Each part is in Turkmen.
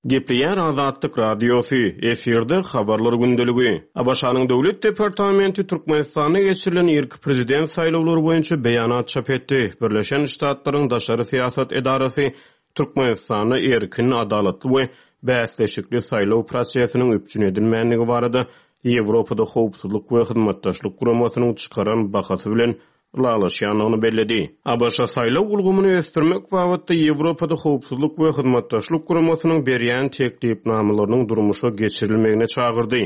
Gepleýär Azatlyk Radiosy, efirde Habarlar gündeligi. ABŞ-nyň Döwlet departamenti Türkmenistanda geçirilen irki prezident saýlawlary boýunça beýanat çap etdi. Birleşen Ştatlaryň daşary syýasat edarasy Türkmenistanda erkin, adalatly we bäsleşikli saýlaw prosesiniň üpjün edilmändigi barada Ýewropada Howpsuzlyk we Hyzmatdaşlyk Guramasynyň çykaran bahasy bilen ylalaşýandygyny belledi. ABŞ saýlaw ulgamyny ösdürmek babatda Ýewropada Howpsuzlyk we Hyzmatdaşlyk Guramasynyň berýän teklipnamalarynyň durmuşa geçirilmegine çagyrdy.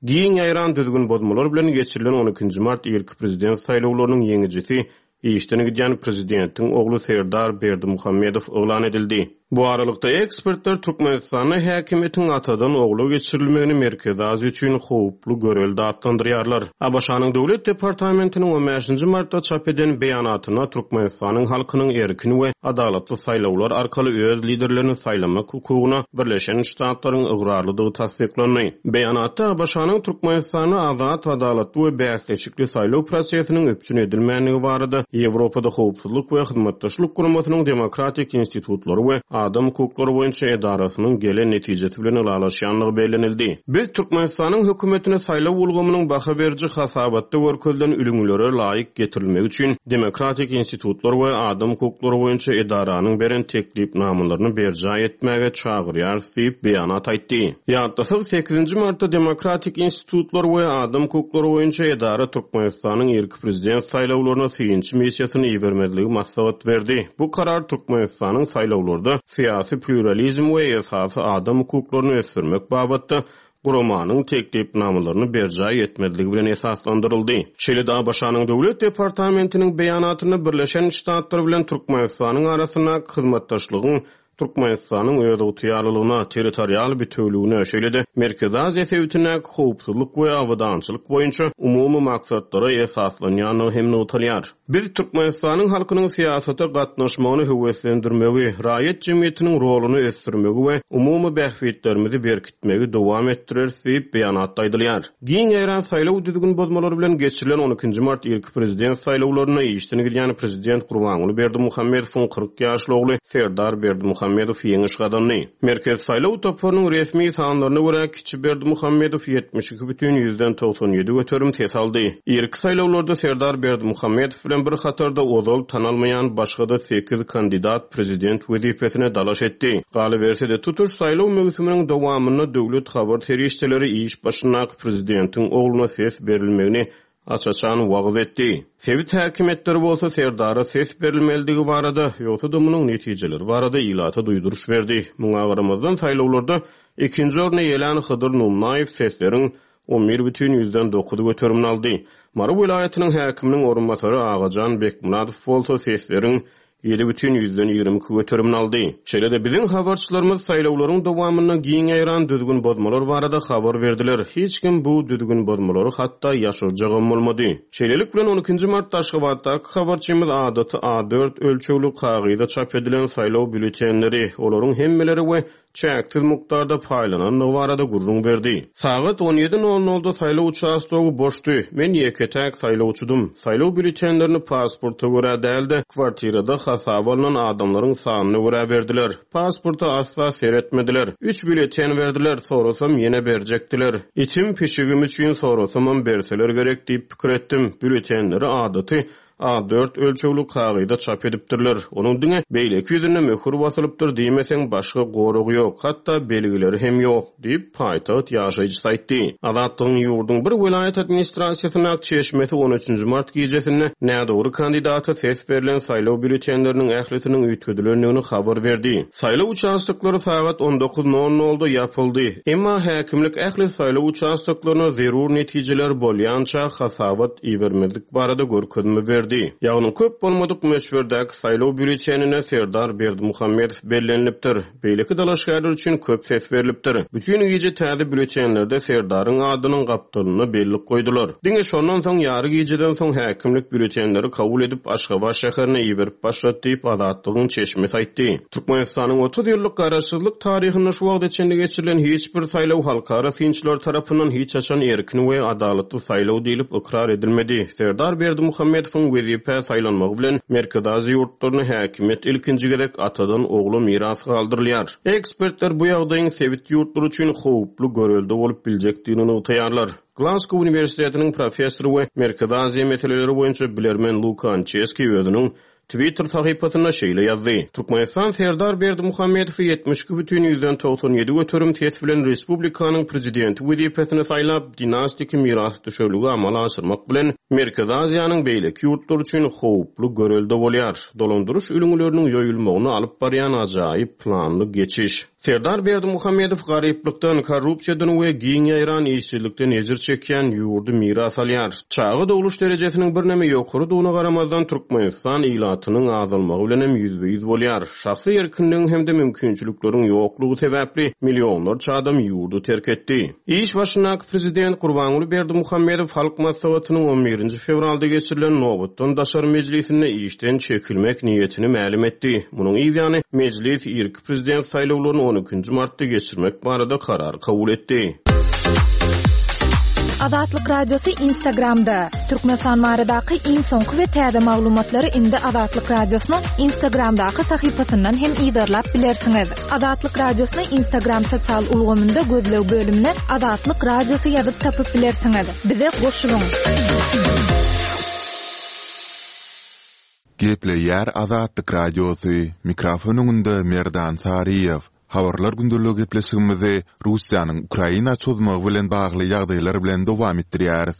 Giň ýaýran düzgün bozmalar bilen geçirilen on ikinji mart irki prezident saýlawlarynyň ýeňijisi işden gidýän prezidentiň ogly Serdar Berdimuhamedow yglan edildi. Bu aralykda, ekspertler Türkmenistanda häkimiýetiň atadan ogla geçirilmegini Merkezi Aziýa üçin howply görelde atlandyrýarlar. ABŞ-nyň Döwlet departamentiniň on bäşinji martda çap eden beýanatynda Türkmenistanyň halkynyň erkin we adalatly saýlawlar arkaly öz liderlerini saýlamak hukugyna Birleşen Ştatlaryň ygrarlydygy tassyklandy. Beýanatda ABŞ-nyň Türkmenistanda azat, adalatly we bäsleşikli saýlaw prosesiniň üpjün edilmändigi barada Ýewropada Howpsuzlyk we Hyzmatdaşlyk Guramasynyň Demokratik institutlary we adam hukuklary boýunça edarasynyň gelen netijesi bilen ylalaşýandygy bellenildi. Biz Türkmenistanyň hökümetini saýlaw ulgamynyň baha beriji hasabatda görkezilen ülňülere laýyk getirilmegi üçin Demokratik institutlar we adam hukuklary boýunça edaranyň beren teklipnamalaryny berjaý etmäge çagyrýarys diýip, beýanat aýtdy. Ýatlasak, sekizinji martda Demokratik institutlar we adam hukuklary boýunça edara Türkmenistanyň irki prezident saýlawlaryna synçy missiýasyny ibermezligi maslahat berdi. Bu karar Türkmenistanyň saýlawlarda syýasy plýuralizm we esasy adam hukuklaryny ösdürmek babatda guramanyň teklipnamalaryny berjaý etmezligi bilen esaslandyryldy. Şeýle-de ABŞ-nyň Döwlet departamentiniň beýanatynda Birleşen Ştatlar bilen Türkmenistanyň arasyndaky hyzmatdaşlygyň Türkmenistanyň özygtyýarlylygyna, territorial bitewüligine, şeýle-de Merkezi Aziýa sebitindäki howpsuzlyk we abadançylyk boýunça umumy maksatlara esaslanýandygy hem nygtalýar. Biz Türkmenistanyň halkynyň syýasata gatnaşmagyny höweslendirmegi, raýat jemgyýetiniň roluny ösdürmegi we umumy bähbitlerimizi berkitmegi dowam etdireris diýip, beýanatda aýdylýar. Giň ýaýran saýlaw düzgün bozmalary bilen geçirilen on ikinji mart irki prezident saýlawlarynda işden gidýän prezident Gurbanguly Berdimuhamedowyň 40 ýaşly ogly Serdar Berdimuhamedow ýeňiş gazandy. Merkezi saýlaw toparynyň resmi sanlaryna görä, kiçi Berdimuhamedow 72 bütin 97% ses aldy. Irki saýlawlarda Serdar Berdimuhamedow bilen bir hatarda ozal tanalmaýan başga-da sekiz kandidat prezident wezipesine dalaş etdi. Galyberse-de, tutuş saýlaw möwsüminiň dowamynda döwlet habar serişdeleri iş başyndaky prezidentiň ogluna ses berilmegini aç-açan wagyz etdi. Sebit häkimiýetleri bolsa Serdara ses berilmelidigi barada, ýogsa-da munuň netijeleri barada ilata duýduryş berdi. Muňa garamazdan, saýlawlarda ikinji orny eýelän Hydyr Nunnaýew sesleriň 11,9 göterimini aldy. Mary welaýatynyň häkiminiň orunbasary Agajan Bekmyradow bolsa sesleriň 7,22 göterimini aldy. Şeýle-de, biziň habarçylarymyz saýlawlaryň dowamynda giň ýaýran düzgün bozmalar barada habar berdiler. Hiç kim bu düzgün bozmalary hatda ýaşyrjagam bolmady. Şeýlelik bilen, on ikinji martda Aşgabatdaky habarçymyz adaty A dört ölçegli kagyza çap edilen saýlaw býulletenleri, olaryň hemmeleri we çäksiz mukdarda paýlanandygy barada gürrüň berdi. Sagat on ýedi nol nolda saýlaw uçastogy boşdy. Men ýeke-täk saýlawçydym. Saýlaw býulletenlerini pasporta görä däl-de, kwartirada hasaba alnan adamlaryň sanyna görä berdiler. Pasporta asla seretmediler. Üç býulleten berdiler, sorasam ýene berjekdiler. Itim, pişigim üçin sorasamam berseler gerek diýip pikir etdim. Býulletenleri adaty A dört ölçegli kagyza çap edipdirler. Onuň diňe beýleki ýüzünde möhür basylypdyr diýmeseň, başga goragy ýok, hatda belgileri hem ýok, diýip, paýtagt ýaşaýjysy aýtdy. Azatlygyň ýurduň bir welaýat administrasiýasyndaky çeşmesi on üçünji mart gijesinde nädogry kandidata ses berlen saýlaw býulletenleriniň ählisiniň üýtgedilendigini habar berdi. Saýlaw uçastoklary sagat on dokuz nol nolda ýapyldy. Emma häkimlik ähli saýlaw uçastoklaryna zerur netijeler bolýança hasabat ibermezlik barada görkezme berdi. Ýagny köp bolmadyk möçberdäki saýlaw býulletenine Serdar Berdimuhamedow bellenilipdir. Beýleki dalaşgärler üçin köp ses berlipdir. Bütin gije täze býulletenlerde Serdaryň adynyň gapdalynda bellik goýdular. Diňe şondan soň ýary gijeden soň häkimlik býulletenleri kabul edip Aşgabat şäherine iberip başlady diýip, Azatlygyň çeşmesi aýtdy. Türkmenistanyň 30 ýyllyk garaşsyzlyk taryhynda şu wagta çenli geçirilen hiç bir saýlaw halkara synçylary tarapyndan hiç haçan erkin we adalatly saýlaw diýlip ykrar edilmedi. Serdar Berdimuhamedowyň. wezipä saýlanmagy bilen Merkezi Aziýa ýurtlarynda häkimiýet ilkinji gezek atadan ogla miras galdyrylýar. Ekspertler bu ýagdaýyň sebit ýurtlary üçin howply görelde bolup biljekdigini nygtaýarlar. Glasgow uniwersitetiniň professory we Merkezi Aziýa meseleleri boýunça bilermen Luka Ançeski özüniň Twitter sahypasynda şeýle ýazdy, Türkmenistan Serdar Berdimuhamedowy 72,97% ses bilen respublikanyň prezidenti wezipesine saýlap, dinastiki mirasdüşerligi amala aşyrmak bilen, Merkezi Aziýanyň beýleki ýurtlary üçin howply görelde bolýar. Dolandyryş ülňüleriniň ýoýulmagyna alyp barýan ajaýyp planly geçiş. Serdar Berdimuhamedow garyplykdan, korrupsiýadan we giň ýaýran işsizlikden ejir çekýän ýurdy miras alýar. Çaga dogluş derejesiniň birneme ýokarydygyna garamazdan, Türkmenistan ilatynyň azalmagy bilen hem ýüzbe-ýüz bolýar. Şahsy erkinligiň hem-de mümkinçilikleriň ýoklugy sebäpli millionlarça adam ýurdy terk etdi. Iş başyndaky prezident Gurbanguly Berdimuhamedow Halk Maslahatynyň on birinji fewralda geçirilen nobatdan daşary mejlisinde işden çekilmek niýetini mälim etdi. Munuň yz ýany, mejlis irki prezident saýlawlaryny on ikinji martda geçirmek barada karar kabul etdi. Azatlyk Radiosy Instagramda, Türkmenistan baradaky iň soňky we täze maglumatlary indi Azatlyk Radiosynyň Instagramdaky sahypasyndan hem yzarlap bilersiňiz. Azatlyk Radiosyny Instagram sosial ulgamynda gözleg bölümine Azatlyk Radiosy ýazyp tapyp bilersiňiz. Bize goşulyň! Gepleýär Azatlyk Radiosy, mikrofon öňünde Merdan Saryýew. Habarlar gündeligi gepleşigimizi Russiýanyň Ukraina çozmagy bilen bagly ýagdaýlar bilen dowam etdirýäris.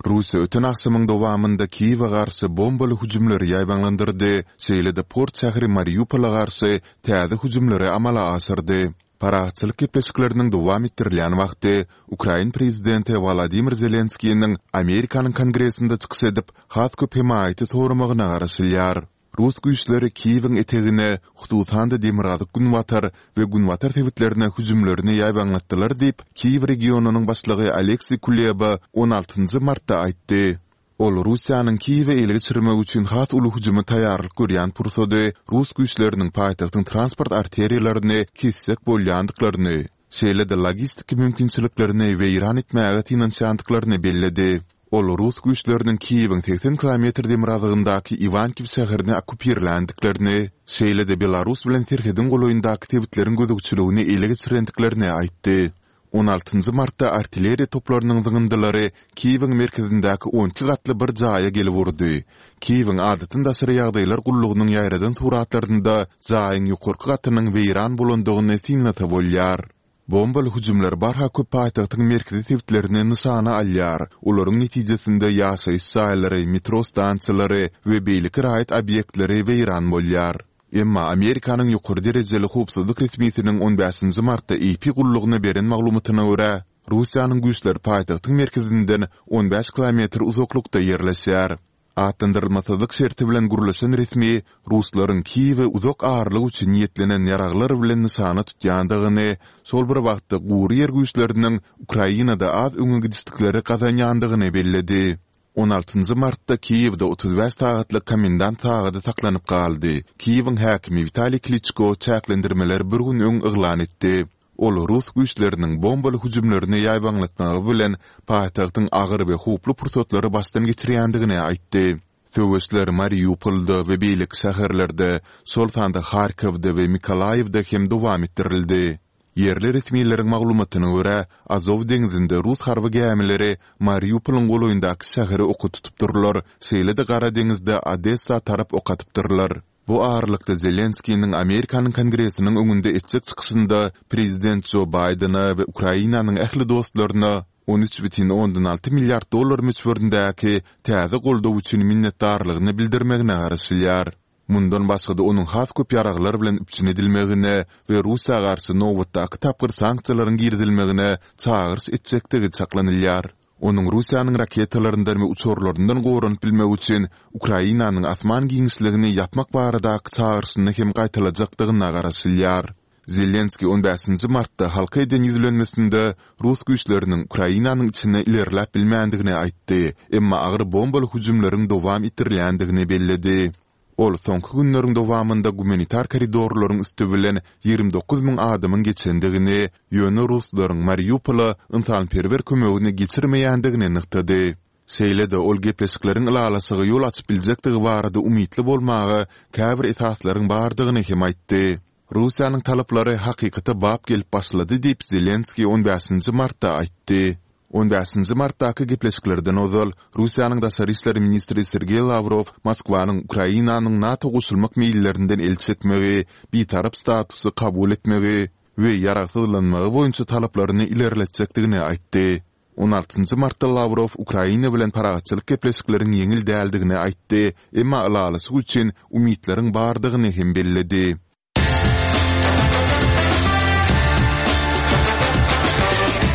Russiýa öten agşamyň dowamynda Kiýewe garşy bombaly hüjümleri ýaýbaňlandyrdy, şeýle-de port şäheri Mariupola garşy täze hüjümleri amala aşyrdy. Parahatçylyk gepleşikleriniň dowam etdirilýän wagty, ukrain prezidenti Wolodymyr Zelenskiniň Amerikanyň Kongresinde çykyş edip, has köp hemaýaty soramagyna garaşylýar. Rus güýçleri Kiýewiň etegine, hususan-da demirgazyk-günbatar we günbatar sebitlerine hüjümlerini ýaýbaňlatdylar diýip, Kiýew regionynyň başlygy Oleksiý Kuleba on altynjy martda aýtdy. Ol Russiýanyň Kiýewi ele geçirmek üçin has uly hüjüme taýýarlyk görýän pursady rus güýçleriniň paýtagtyň transport arteriýalaryny kesjek bolýandyklaryny, şeýle-de logistiki mümkinçiliklerini weýran etmäge synanyşýandyklaryny belledi. Ol rus güýçleriniň Kiýewiň 80 kilometr demirgazygyndaky Iwankiw şäherini okkupirländiklerini, şeýle-de Belarus bilen serhediň golaýyndaky sebitleriň gözegçiligini ele geçirendiklerini aýtdy. On altynjy martda artilleriýa toplarynyň zyňyndylary Kiýewiň merkezindäki on iki gatly bir jaýa gelip urdy. Kiýewiň Adatdan daşary ýagdaýlar gullugynyň ýaýradan suratlarynda jaýyň ýokarky gatynyň weýran bolandygyny synlasa bolýar. Bombaly hüjümler barha köp paýtagtyň merkezi sebitlerini nyşana alýar. Olaryň netijesinde ýaşaýyş jaýlary, metro stansiýalary we beýleki raýat obýektleri weýran bolýar. Emma Amerikanyň ýokary derejeli howpsuzlyk resmisiniň on bäşinji martda AP gullugyna beren maglumatyna görä, Russiýanyň güýçleri paýtagtyň merkezinden on bäş kilometr uzaklykda ýerleşýär. Atlandyrylmasyzlyk şerti bilen gürleşen resmi ruslaryň Kiýewi uzak aralyk üçin niýetlenen ýaraglar bilen nyşana tutýandygyny, şol bir wagtda gury ýer güýçleriniň Ukrainada az öňe gidişlikleri gazanýandygyny belledi. On altynjy martda Kiýewde 35 sagatlyk komendant sagady saklanyp galdy. Kiýewiň häkimi Witaliý Kliçko çäklendirmeleri bir gün öň yglan etdi. Ol rus güýçleriniň bombaly hüjümlerini ýaýbaňlatmagy bilen paýtagtyň agyr we howply pursatlary başdan geçirýändigini aýtdy. Söweşler Mariupolda we beýleki şäherlerde, şol sanda Harkowda we Mykolaýiwde hem dowam etdirildi. Ýerli resmileriň maglumatyna görä, Azow deňzinde rus harby gämileri Mariupolyň golaýyndaky şäheri oka tutupdyrlar, şeýle-de Gara deňizde Odessa tarap ok atypdyrlar. Bu aralykda Zelenskiniň Amerikanyň Kongresiniň öňünde etjek çykyşynda prezident Jo Baýdene we Ukrainanyň ähli dostlaryna 13,6 milliard dollar möçberindäki täze goldaw üçin minnetdarlygyny bildirmegine garaşylýar. Mundan başga-da onuň has köp ýaraglar bilen üpjün edilmegine we Russiýa garşy nobatdaky tapgyr sanksiýalaryň girizilmegine çagyryş etjekdigi çaklanylýar. Onuň Russiýanyň raketalaryndan we uçarlaryndan goranyp bilmek üçin Ukrainanyň asman giňişligini ýapmak baradaky çagyryşyny hem gaýtalajakdygyna garaşylýar. Zelenskiý on bäşinji martda halka eden ýüzlenmesinde rus güýçleriniň Ukrainanyň içine ilerläp bilmändigini aýtdy, emma agyr bombaly hüjümleriň dowam etdirilýändigini belledi. Ol soňky günleriň dowamynda gumanitar koridorlaryň üsti bilen 29 müň adamyň geçendigini, ýöne ruslaryň Mariupola ynsanperwer kömegini geçirmeýändigini nygtady. Şeýle-de ol gepleşikleriň ylalaşyga ýol açyp biljekdigi barada umytly bolmaga käbir esaslaryň bardygyny hem aýtdy. Russiýanyň talaplary hakykata bap gelip başlady diýip, Zelenskiý on bäşinji martda aýtdy. On bäşinji martdaky gepleşiklerden ozal, Russiýanyň daşary işler ministri Sergeý Lawrow Moskwanyň Ukrainanyň NATO goşulmak meýillerinden el çekmegi, bitarap statusy kabul etmegi we ýaragsyzlanmagy boýunça talaplaryny ilerletjekdigini aýtdy. On altynjy martda Lawrow Ukraina bilen parahatçylyk gepleşikleriň ýeňil däldigini aýtdy, emma ylalaşyk üçin umytlaryň bardygyny hem belledi.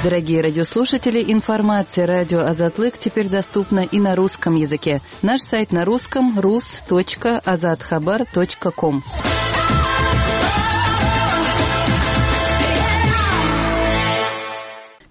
Дорогие радиослушатели, информация радио Азатлык теперь доступна и на русском языке. Наш сайт на русском rus.azathabar.com.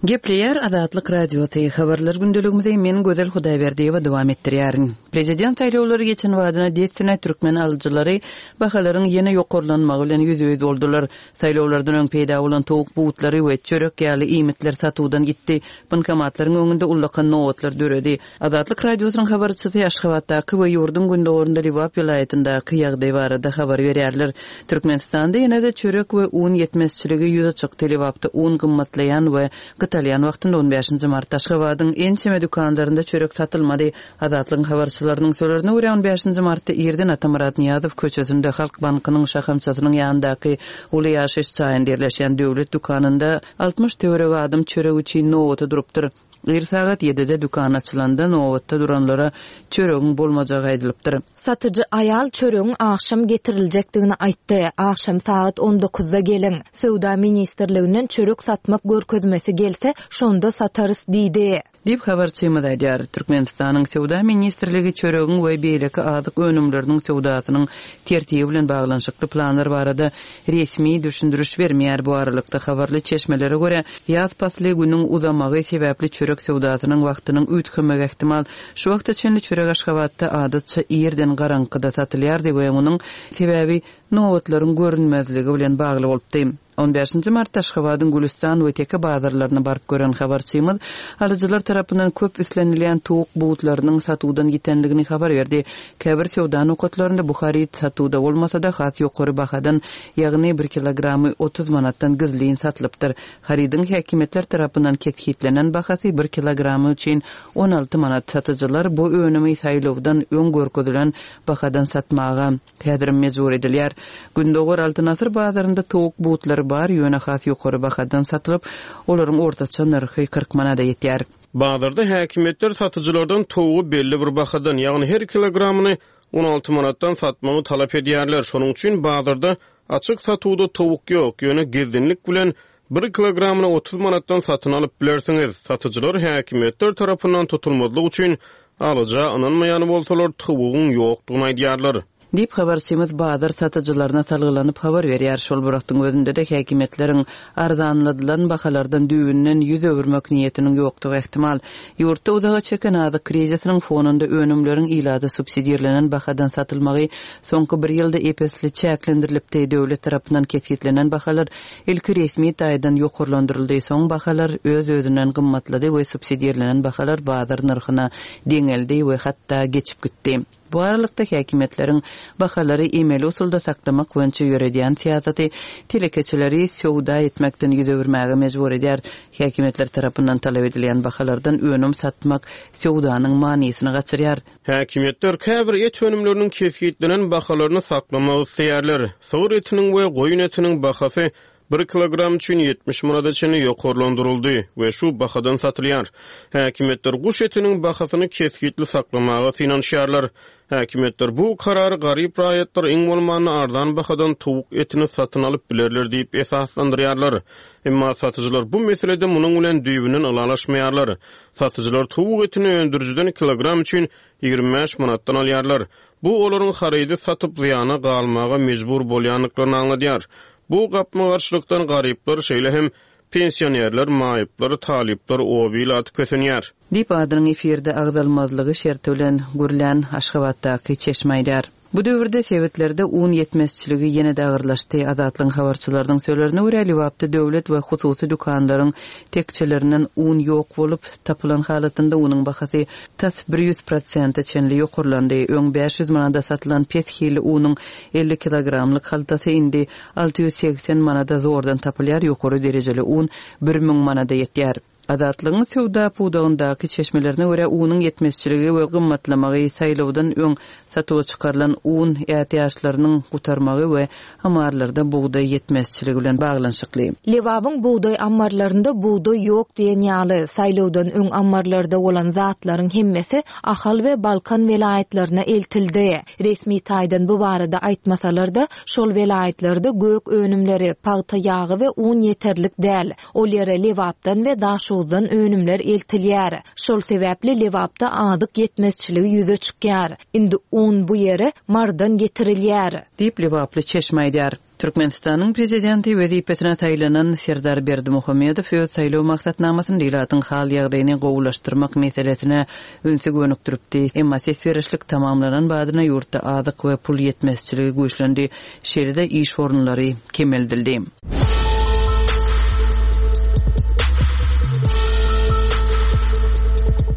Gepleýär Azatlyk Radiosy, Habarlar gündeligimizi men Gözel Hudaýberdiýewa dowam etdirýärin. Prezident saýlawlary geçen badyna dessine türkmen alyjylary bahalaryň ýene ýokarlanmagy bilen ýüzbe-ýüz boldular. Saýlawlardan öň peýda bolan towuk butlary we çörek ýaly iýmitler satuwdan gitdi, bankomatlaryň öňünde ullakan nobatlar döredi. Azatlyk Radiosynyň habarçysy Aşgabatdaky we ýurduň gündogarynda Lebap welaýatyndaky ýagdaý barada habar berýärler. Türkmenistanda ýene-de çörek we un ýetmezçiligi ýüze çykdy. Lebapda un gymmatlaýan we gytalýan wagtynda on bäşinji martda Aşgabadyň ençeme dükanlarynda çörek satylmady. Azatlygyň habarçylarynyň sözlerine görä, on bäşinji martda irden Atamyrat Nyýazow köçesinde Halk bankynyň şahamçasynyň ýanyndaky uly ýaşaýyş jaýynda ýerleşýän döwlet dükanynda 60 töweregi adam çörek üçin nobata durupdyr. Ir sagat ýedide dükan açylanda nobatda duranlara çöregiň bolmajagy aýdylypdyr. Satyjy aýal çöregiň agşam getiriljekdigini aýtdy. Agşam sagat on dokuzda geliň. Söwda ministrliginden çörek satmak görkezmesi gelse, şonda satarys diýdi. Diýip, habarçymyz aýdýar. Türkmenistanyň Söwda ministrligi çöregiň we beýleki azyk önümleriniň söwdasynyň tertibi bilen baglanyşykly planlar barada resmi düşündiriş bermeýär. Bu aralykda, habarly çeşmelere görä, ýaz pasly günüň uzamagy sebäpli çörek söwdasynyň wagtynyň üýtgemegi ähtimal. Şu wagta çenli çörek Aşgabatda adatça irden garaňkyda satylýardy we munuň sebäbi nobatlaryň görünmezligi bilen bagly bolupdy. On bäşinji martda Aşgabadyň Gülüstan we Teke bazarlaryna baryp gören habarçymyz alyjylar tarapyndan köp islenilýän towuk butlarynyň satuwdan ýitenligini habar berdi. Käbir söwda nokatlarynda bu haryt satuwda bolmasa-da, has ýokary bahadan, ýagny bir kilogramy 30 manatdan gizlin satylypdyr. Harydyň häkimiýetler tarapyndan kesgitlenen bahasy bir kilogramy üçin 16 manat. Satyjylar bu önümi saýlawdan öň görkezilen bahadan satmaga häzirem mejbur edilýär. Gündogar Altyn asyr bazarynda towuk butlary bar, ýöne has ýokary bahadan satylyp, olaryň ortaça nyrhy 40 manada ýetýär. Bazarda häkimiýetler satyjylardan towugy belli bir bahadan, ýagny her kilogramyny 16 manatdan satmagy talap edýärler. Şonuň üçin bazarda açyk satuwda towuk ýok, ýöne gizlinlik bilen bir kilogramyny 30 manatdan satyn alyp bilersiňiz. Satyjylar häkimiýetler tarapyndan tutulmazlyk üçin alyja ynanmaýan bolsalar, towugyň ýokdugyny aýdýarlar. Diýip, habarçymyz bazar satyjylaryna salgylanyp habar berýär. Şol bir wagtyň özünde-de häkimiýetleriň arzanladylan bahalardan düýbünden ýüz öwürmek niýetiniň ýokdugy ähtimal. Ýurtda uzaga çeken azyk krizisiniň fonunda önümleriň ilata subsidirlenen bahadan satylmagy soňky bir ýylda ep-esli çäklendirilipdi. Döwlet tarapyndan kesgitlenen bahalar ilki resmi taýdan ýokarlandyryldy, soň bahalar öz-özünden gymmatlady we subsidirlenen bahalar bazar nyrhyna deňeldi we hatda geçip gitdi. Bu aralykda, häkimiýetleriň bahalary emeli usulda saklamak boýunça ýöredýän syýasaty telekeçileri söwda etmekden ýüz öwürmäge mejbur edýär. Häkimiýetler tarapyndan talap edilýän bahalardan önüm satmak söwdanyň manysyny gaçyrýar. Häkimiýetler käbir et önümleriniň kesgitlenen bahalaryny saklamak isleýärler. Sygyr etiniň we goýun etiniň bahasy Bir kilogram üçin 70 manada çenli ýokarlandyryldy we şu bahadan satylýar. Häkimiýetler guş etiniň bahasyny kesgitli saklamaga synanyşýarlar. Häkimiýetler bu karary garyp raýatlar iň bolmanda arzan bahadan towuk etini satyn alyp bilerler diýip esaslandyrýarlar. Emma satyjylar bu meselede munuň bilen düýbünden ylalaşmaýarlar. Satyjylar towuk etini öndürijiden kilogram üçin 25 manatdan alýarlar. Bu olaryň harydy satyp zyýana galmaga mejbur bolýandyklaryny aňladýar. Bu gapma-garşylykdan garyplar, şeýle hem pensionerler, maýyplar, talyplar, oba ilaty kösenýär. Diýip, adynyň efirde agzalmazlygy şerti bilen gürlän Aşgabatdaky çeşme aýdýar. Bu döwürde sebitlerde un ýetmezçiligi ýene-de agyrlaşdy. Azatlygyň habarçylarynyň sözlerine görä, Lebapda döwlet we hususy dükanlaryň tekjelerinden un ýok bolup, tapylan halatynda unuň bahasy tas 100 prosente çenli ýokarlandy. Öň 500 manada satylan pes hilli unuň 50 kilogramlyk haltasy indi 680 manada zordan tapylýar, ýokary derejeli un 1000 manada ýetýär. Azatlygyň söwda pudagyndaky çeşmelerine görä, unuň ýetmezçiligi we gymmatlamagy saýlawdan öň satuwa çykarylan un ätiýaçlarynyň gutarmagy we ammarlarda bugdaý ýetmezçiligi bilen baglanyşykly. Lebabyň bugdaý ammarlarynda bugdaý ýok diýen ýaly, saýlawdan öň ammarlarda bolan zatlaryň hemmesi Ahal we Balkan welaýatlaryna eltildi. Resmi taýdan bu barada aýtmasalar-da, şol welaýatlarda gök önümleri, pagta ýagy we un ýeterlik däl. Ol ýere Lebapdan we Daşoguzdan önümler eltilýär. Şol sebäpli Lebapda azyk ýetmezçiligi ýüze çykýar. Indi un bu ýere Marydan getirilýär. Diýip, lebaply çeşme aýdýar. Türkmenistanyň Prezidenti wezipesine saýlanan Serdar Berdimuhamedow öz saýlaw maksatnamasynda ilatyň hal-ýagdaýyny gowulaşdyrmak meselesine ünsi gönükdiripdi. Emma ses berişlik tamamlanan badyna ýurtda azyk we pul ýetmezçiligi güýçlendi. Şeýle-de iş orunlary kemeldildi.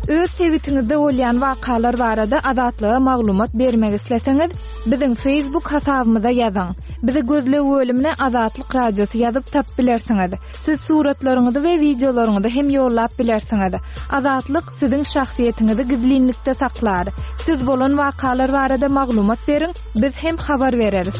Öz sebitiňizde bolýan wakalar barada Azatlyga maglumat bermek isleseňiz, biziň Facebook hasabymyza ýazyň. Bizi gözleg bölümine Azatlyk Radiosy ýazyp tapyp bilersiňiz. Siz suratlaryňyzy we wideolaryňyzy hem ýollap bilersiňiz. Azatlyk siziň şahsyýetiňizi gizlinlikde saklar. Siz bolan wakalar barada maglumat beriň, biz hem habar bereris.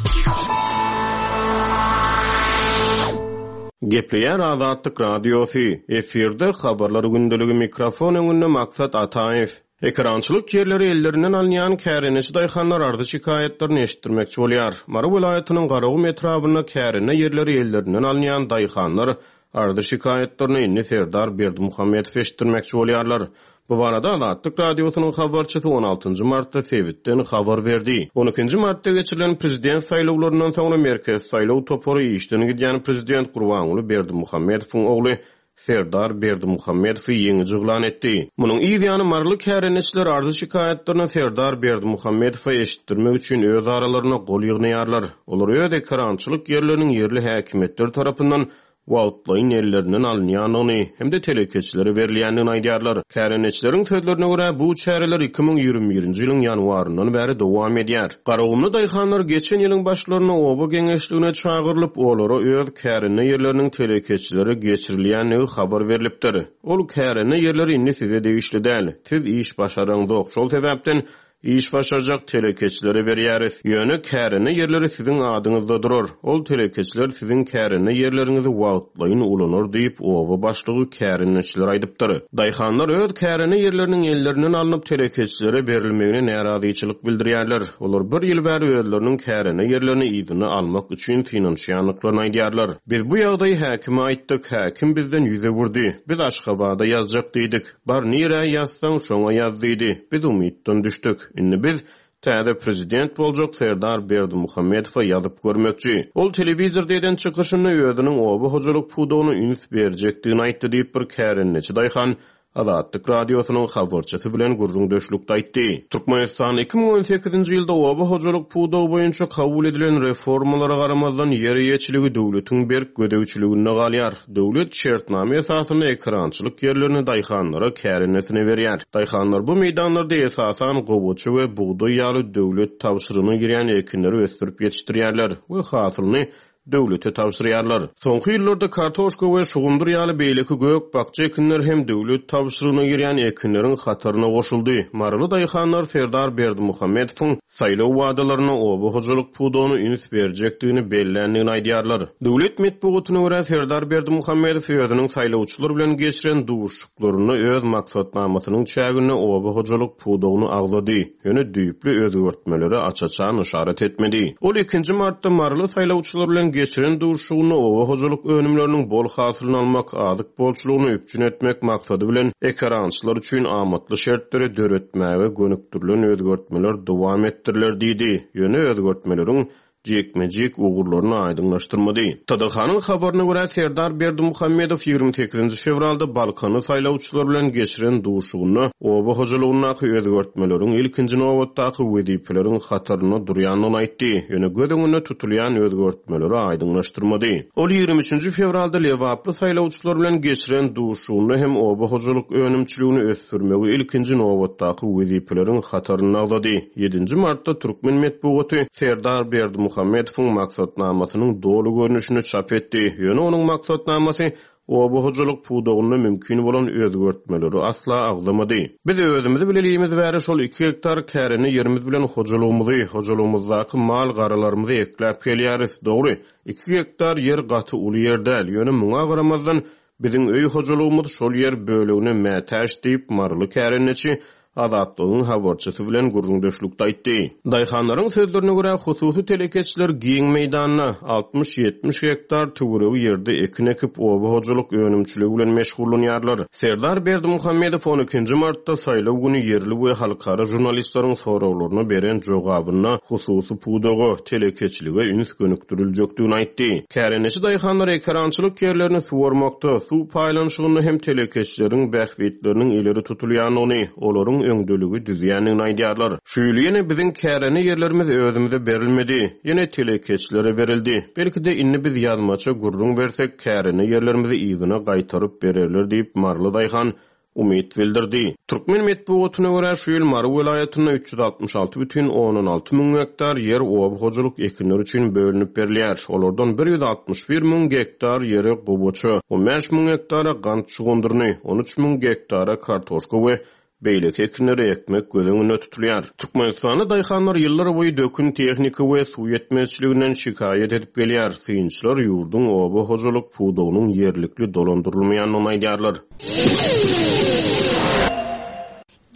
Gepleýär Azatlyk Radiosy, efirde Habarlar gündeligi mikrofon öňünde Maksat Ataýew. Ekerançylyk ýerleri ellerinden alynýan kärendeçi daýhanlar arzy-şikaýatlaryny eşitdirmekçi bolýar. Mary welaýatynyň Garagum etrabynda kärende ýerleri ellerinden alynýan daýhanlar arzy-şikaýatlaryny indi Serdar Berdimuhamedow eşitdirmekçi bolýarlar. Bu barada Azatlyk Radiosynyň habarçysy on altynjy martda sebitden habar berdi. On ikinji martda geçirilen prezident saýlawlaryndan soňra Merkezi saýlaw topary işden gidýän prezident Gurbanguly Berdimuhamedowyň ogly Serdar Berdimuhamedowy ýeňiji yglan etdi. Munuň yz ýany maryly kärendeçiler arzy-şikaýatlaryny Serdar Berdimuhamedowa eşitdirmek üçin öz aralarynda gol ýygnaýarlar. Olar öz ekerançylyk ýerleriniň ýerli häkimiýetler tarapyndan wagtlaýyn ellerinden alynýandygyny hem-de telekeçilere berilýändigini aýdýarlar. Kärendeçileriň sözlerine görä, bu çäreler 2021-nji ýylyň ýanwaryndan bäri dowam edýär. Garagumly daýhanlar geçen ýylyň başlarynda oba geňeşligine çagyrylyp, olara öz kärende ýerleriniň telekeçilere geçirilýändigi habar berlipdir. Ol kärende ýerleri indi size degişli däl. Siz iş başaraňzok, şol sebäpden Iş başarjak telekeçilere berýäris. Ýöne kärende ýerleri siziň adyňyzda durar. Ol telekeçiler siziň kärende ýerleriňizi wagtlaýyn ulanar diýip, oba başlygy kärendeçilere aýdypdyr. Daýhanlar öz kärende ýerleriniň ellerinden alnyp telekeçilere berilmegine närazyçylyk bildirýärler. Olar bir ýyl bäri özleriniň kärende ýerlerini yzyna almak üçin synanyşýandyklaryny aýdýarlar. Biz bu ýagdaýy häkime aýtdyk. Häkim bizden ýüz öwürdi. Biz Aşgabada ýazjak diýdik. Bar nirä ýazsaň şoňa ýaz diýdi. Biz umytdan düşdük. Indi biz täze prezident boljak Serdar Berdimuhamedowa ýazyp görmekçi. Ol telewizorda eden çykyşynda özüniň oba hojalyk pudagyna üns berjekdigini aýtdy diýip bir kärendeçi daýhan Azatlyk Radiosynyň habarçysy bilen gürrüňdeşlikde aýtdy. Türkmenistan 2018-nji ýylda oba hojalyk pudagy boýunça kabul edilen reformalara garamazdan ýer eýeçiligi döwletiň berk gözegçiliginde galýar. Döwlet şertnama esasynda ekerançylyk ýerlerini daýhanlara kärendesine berýär. Daýhanlar bu meýdanlarda esasan gowaça we bugdaý ýaly döwlet tabşyrygyna girýän ekinleri ösdürip ýetişdirýärler we hasylyny döwlete tabşyrýarlar. Soňky ýyllarda kartoşka we şugundyr ýaly beýleki gök-bakja ekinler hem döwlet tabşyrygyna girýän ekinleriň hataryna goşuldy. Maryly daýhanlar Serdar Berdimuhamedowyň saýlaw wadalarynda oba hojalyk pudagyna üns berjekdigini belländigini aýdýarlar. Döwlet metbugatyna görä, Serdar Berdimuhamedow özüniň saýlawçylar bilen geçiren duşuşyklarynda öz maksatnamasynyň çäginde oba hojalyk pudagyny agzady, ýöne düýpli özgertmelere aç-açan yşarat etmedi. Ol ikinji martda maryly saýlawçylar bilen geçiren duşuşygynda oba hojalyk önümleriniň bol hasylyny almak, azyk bolçulygyny üpjün etmek maksady bilen ekerançylar üçin amatly şertleri döretmäge gönükdirilen özgertmeler dowam etdiriler diýdi. Ýöne özgertmeleriň jikme-jik ugurlaryny aýdyňlaşdyrmady. TDH-nyň habaryna görä, Serdar Berdimuhamedow 28 fewralda balkanly saýlawçylar bilen geçiren duşugynda oba hojalygyndaky özgertmeleriň ilkinji nobatdaky wezipeleriň hatarynda durýandygyny aýtdy, ýöne göz öňünde tutulýan özgertmeleri aýdyňlaşdyrmady. Ol 23 fewralda lebaply saýlawçylar bilen geçiren duşugynda hem oba hojalyk önümçiligini ösdürmegi ilkinji nobatdaky wezipeleriň hatarynda agzady. Ýedinji martda türkmen metbugaty Serdar Berdimuhamedowyň maksatnamasynyň doly görnüşini çap etdi. Ýöne onuň maksatnamasy oba hojalyk pudagynda mümkin bolan özgertmeleri asla agzamady. Biz özümizi bilelimiz bäri şol iki gektar kärende ýerimiz bilen hojalygymyzy, hojalygymyzdaky mal-garalarymyzy ekläp gelýäris. Dogry, iki gektar ýer gaty uly ýer däl, ýöne muňa garamazdan, Biziň öý hojalygymyz şol ýer bölegine mätäç diýip, maryly kärendeçi Azatlygyň habarçysy bilen gürrüňdeşlikde aýtdy. Daýhanlaryň sözlerine görä, hususy telekeçiler giň meýdanda, 60-70 gektar töweregi ýerde ekin ekip, oba hojalyk önümçiligi bilen meşgullanýarlar. Serdar Berdimuhamedow on ikinji martda saýlaw güni ýerli we halkara žurnalistleriň soraglaryna beren jogabynda hususy pudaga, telekeçilige üns gönükdiriljekdigini aýtdy. Kärendeçi daýhanlar ekerançylyk ýerlerini suwarmakda, suw paýlanyşygynda hem telekeçileriň bähbitleriniň ileri tutulýandygyny, olaryň öňdeligi düzýändigini aýdýarlar. Şu ýyl ýene biziň kärende ýerlerimiz özümize berilmedi, ýene telekeçilere berildi. Belki-de indi biz ýazmaça gürrüň bersek, kärende ýerlerimizi yzyna gaýtaryp bererler diýip, maryly daýhan umyt bildirdi. Türkmen metbugatyna görä, şu ýyl Mary welaýatynda 366 bütin ondan alty müň gektar ýer oba hojalyk ekinleri üçin bölünip berilýär. Olardan 161 müň gektar ýere gowaça, 15 müň gektara gant şugundyryny, 13 müň gektara kartoşka we beýleki ekinleri ekmek göz öňünde tutulýar. Türkmenistanda daýhanlar ýyllarboýy dökün, tehnika we suw ýetmezçiliginden şikaýat edip gelýär. Synçylar ýurduň oba hojalyk pudagynyň ýerlikli dolandyrylmaýandygyny aýdýarlar.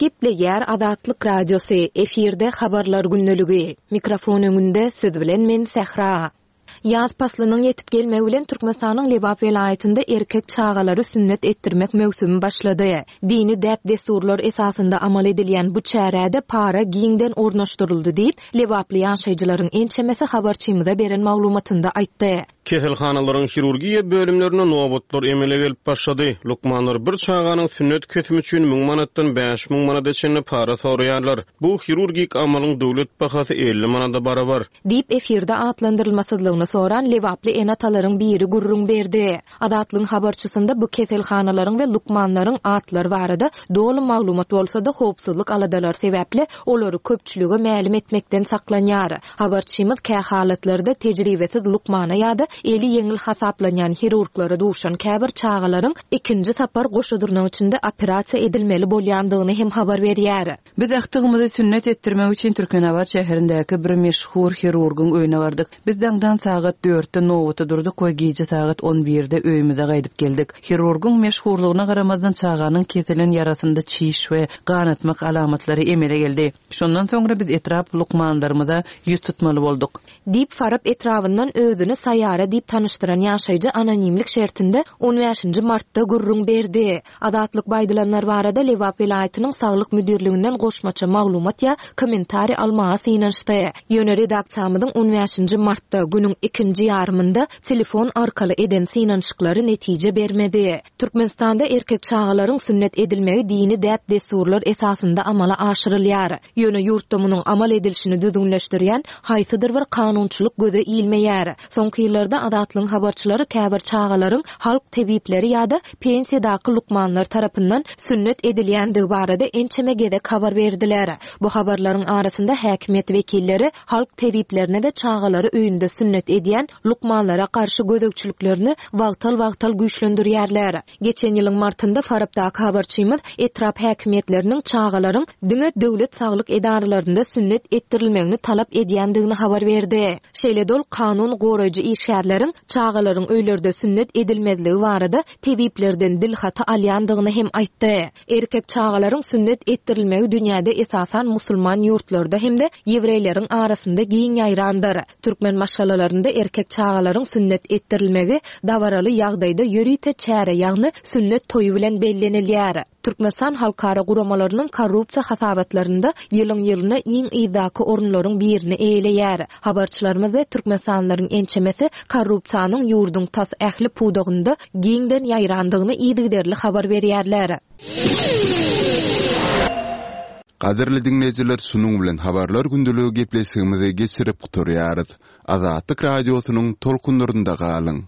Gepleýär Azatlyk Radiosy, efirde Habarlar gündeligi. Mikrofon öňünde siz bilen men Sähra. Ýaz paslynyň ýetip gelmegi bilen Türkmenistanyň Lebap welaýatynda erkek çagalary sünnet etdirmek möwsümi başlady. Dini däp-dessurlar esasynda amal edilýän bu çärä-de para giňden ornaşdyryldy diýip, lebaply ýaşaýjylaryň ençemesi habarçymyza beren maglumatynda aýtdy. Keselhanalaryň hirurgiýa bölümlerinde nobatlar emele gelip başlady. Lukmanlar bir çaganyň sünnet kesimi üçin müň manatdan 5000 manada çenli para soraýarlar. Bu hirurgik amalyň döwlet bahasy 50 manada barabar. Diýip, efirde atlandyrylmasyzlygyny soran lebaply ene-atalaryň biri gürrüň berdi. Azatlygyň habarçysynda bu keselhanalaryň we lukmanlaryň atlary barada doly maglumat bolsa-da, howpsuzlyk aladalary sebäpli olary köpçülige mälim etmekden saklanýar. Habarçymyz kähalatlarda tejribesiz lukmana ýa-da eli ýeňil hasaplanýan hirurglara duşan käbir çagalaryň ikinji sapar goşa dyrnak içinde operasiýa edilmeli bolýandygyny hem habar berýär. Biz agtygymyzy sünnet etdirmek üçin Türkmenabat şäherindäki bir meşhur hirurgyň öýüne bardyk. Biz daňdan sagat dörtde nobata durduk we gije sagat on birde öýümize gaýdyp geldik. Hirurgyň meşhurlygyna garamazdan çaganyň kesilen ýarasynda çiş we ganatmak alamatlary emele geldi. Şondan soňra biz etrap lukmanlarymyza ýüz tutmaly bolduk. Diýip, Farap etrabyndan özüni Saýara diýip tanyşdyran ýaşaýjy anonimlik şertinde on bäşinji martda gürrüň berdi. Azatlyk bu aýdylanlar barada Lebap welaýatynyň Saglyk müdirliginden goşmaça maglumat ýa kommentariý almaga synanyşdy. Ýöne redaksiýamyzyň on bäşinji martda, günüň ikinji ýarymynda telefon arkaly eden synanyşyklary netije bermedi. Türkmenistanda erkek çagalaryň sünnet edilmegi dini däp-dessurlar esasynda amala aşyrylýar. Ýöne ýurtda munuň amal edilişini düzgünleşdirýän haýsydyr bir kanunçylyk göze ilmeýär. Soňky ýyllarda Azatlygyň habarçylary käbir çagalaryň halk tebipleri ýa-da pensiýadaky lukmanlar tarapyndan sünnet edilýändigi barada ençeme gezek habar berdiler. Bu habarlaryň arasynda häkimiýet wekilleri halk tebiplerine we çagalary öýünde sünnet edýän lukmanlara garşy gözegçiliklerini wagtal-wagtal güýçlendirýärler. Geçen ýylyň martynda Farapdaky habarçymyz etrap häkimiýetleriniň çagalaryň diňe döwlet saglyk edaralarynda sünnet etdirilmegini talap edýändigini habar berdi. Şeýle-de ol kanun goraýjy işgärleriň çagalaryň öýlerde sünnet edilmezligi barada tebiplerden dilhaty alýandygyny hem aýtdy. Erkek çagalaryň sünnet etdirilmegi dünýäde esasan musulman ýurtlarda hem-de ýewreýleriň arasynda giň ýaýrandyr. Türkmen maşgalalarynda erkek çagalaryň sünnet etdirilmegi dabaraly ýagdaýda ýörite çäre, ýagny sünnet toýy bilen bellenilýär. Türkmenistan halkara guramalarynyň korrupsiýa hasabatlarynda ýylyň-ýylyna iň yzdaky orunlaryň birini eýeleýär. Habarçylarymyz we türkmenistanlylaryň ençemesi korrupsiýanyň ýurduň tas ähli pudagynda giňden ýaýrandygyny yzygiderli habar berýärler. Gadyrly diňleýjiler şunuň bilen Habarlar gündeligi gepleşigimizi geçirip gutarýarys. Azatlyk Radiosynyň tolkunlarynda galyň!